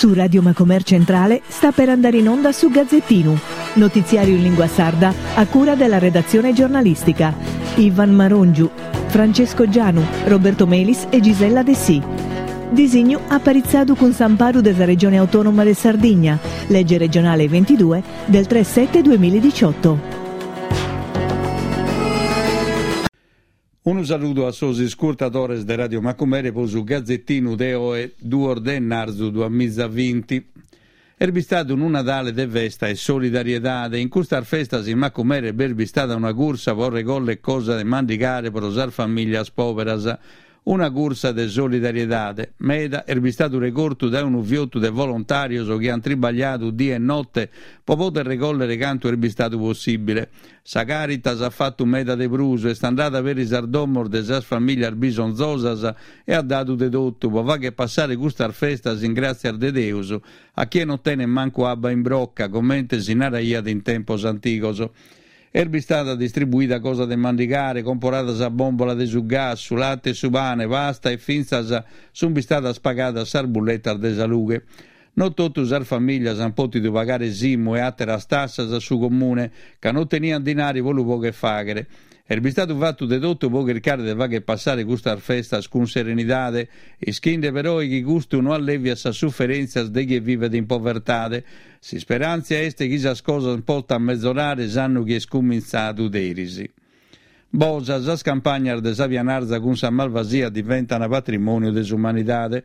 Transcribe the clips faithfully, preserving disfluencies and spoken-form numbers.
Su Radio Macomer Centrale sta per andare in onda su Gazzettinu, notiziario in lingua sarda a cura della redazione giornalistica. Ivan Marongiu, Francesco Gianu, Roberto Melis e Gisella Dessì. Disignu aparitzadu cun s'amparu de sa Regione Autonoma de Sardigna, legge regionale ventidue del tre sette duemiladiciotto. Unu saludu a sos iscurtadores de Radio Macumere po su Gazzettinu de oe duos de ennarzu duamizavinti. Est bistadu unu Nadale de festa e solidariedade. In custas festas in Macumere b'est bistada una cursa po regoller cosa de mandigare pro sas familias poberas. Una cursa de solidariedade. Meda est bistadu regortu dae unu fiotu de volontàrios chi ant tribagliadu die e note po poder regollere cantu est bistadu possìbile. Sa Caritas at fatu meda de prus, est andada peri sas domos de sas familias bisonzosas e at dadu de totu po fagher passare custas festas in gràtzias de Deus a chie non tenet mancu abba in brocca, comente si naraiat in tempos antigos. Est bistada distribuida cosa de mandigare, comporada sa bòmbola de su gas, su late e su pane, pasta e fintzas sunt bistadas pagadas sas bulletas de sa lughe. Non totu sas famìlias ant pòtidu pagare s'IMU e àteras tassas a su comune, ca non teniant dinari po lu pògher fàghere. Est bistadu fatu de totu po chircare de fagher passare custas festas cun serenidade, ischinde peroe chi custu no allèviat sas suferèntzias de chie vivet in povertade. S'isperàntzia est chi sas cosas potant mezorare s'annu chi est cumintzadu deris. Bosa, sas campagnas de sa Pianarza cun sa Malvasia diventan patrimòniu de s'umanidade.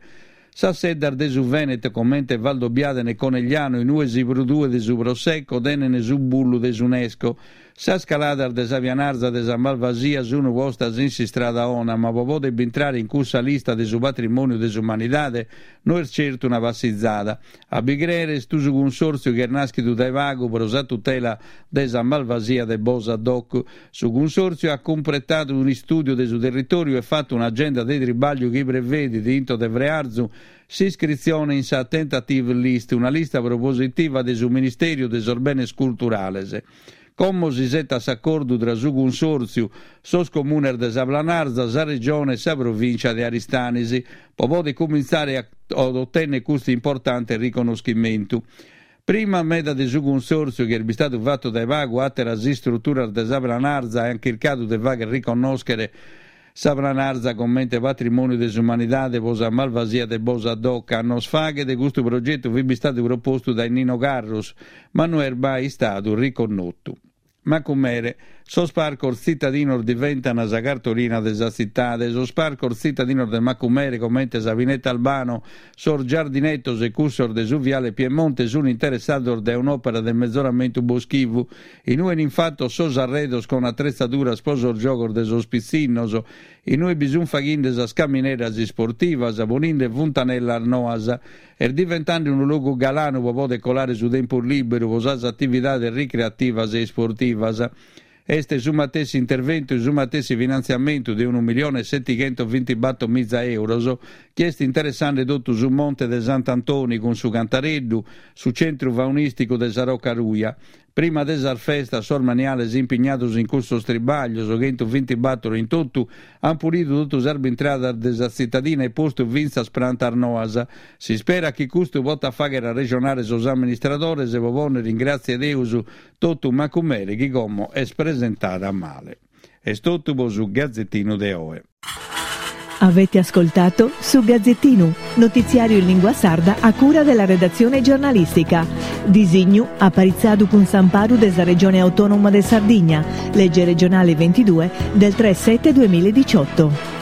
Sas seddas de su Veneto comente Valdobbiadene e Conegliano in ue si produet su Prosecco tenen su bullu de s'UNESCO. Sas caladas de sa Pianarza de sa Malvasia sunu postas in s'istrada 'ona, ma po poder bintrare in cussa lista de su patrimòniu de s'umanidade no est certu una passizada. A bi crèere est su cunsòrtziu chi est nàschidu dae pagu pro sa tutela de sa Malvasia de Bosa Doc. Su cunsòrtziu at cumpretadu un'istùdiu de su territòriu e fatu un'agenda de tribàgliu chi prevedit, intro de frearzu, s'iscritzione in sa Tentative List, una lista propositiva de su Ministèriu de sos Benes Culturales. Como s'isetat s'acordu tra su Cunsòrtziu, sos comunes de sa Planarza, sa Regione e sa Provìncia de Aristanis, pro poder cumintzare a otènnere custu importante riconnoschimentu. Prima meda de su Cunsòrtziu, chi est bistadu fatu dae pagu, àteras istruturas de sa Planarza ant chircadu de fàghere riconnòschere sa Planarza comente patrimòniu de s'umanidade pro sa Malvasia de Bosa Doc. Annos faghet custu progetu fit bistadu propostu dae Nino Carrus, ma no est mai istadu riconnotu. Macumere, sos parcos tzitadinos diventan sa cartolina de sa tzitade. Sos parcos tzitadinos de Macumere, comente sa Pineta Albano, sos giardinetos e cussos de su Viale Piemonte, sunt interessados dae un'òpera de mezoramentu boschivu, in ue 'enin fatos sos arredos con atretzaduras pro sos giogos de sos pitzinnos, in ue bi sunt faghinde sas camineras isportivas, poninde funtanellas noas. Est diventande unu logu galanu pro poder colare su tempus lìberu pro sas atividades ricreativas e isportivas. Est su matessi interventu e su matessi finantziamentu de unu milione e setighentovintibator miza euros chi est interessande totu su Monte de Sant'Antoni cun su Cantareddu, su centru faunìsticu de sa Roca Ruja. Prima de sas festas sos maniales impignados in custos tribàglios, chentuvintibator in totu, ant pulidu totu sas bintradas de sa tzitadina e postu fintzas prantas noas. S'isperat chi custu potat fàghere arrejonare sos amministradores pro pònnere in gràtzia 'e Deus totu Macumere chi como est presentada male. Est totu pro su Gazzettinu de oe. Avete ascoltato Su Gazzettinu, notiziario in lingua sarda a cura della redazione giornalistica. Disignu aparitzadu cun s'amparu de sa Regione Autonoma de Sardigna, legge regionale ventidue del tre sette duemiladiciotto.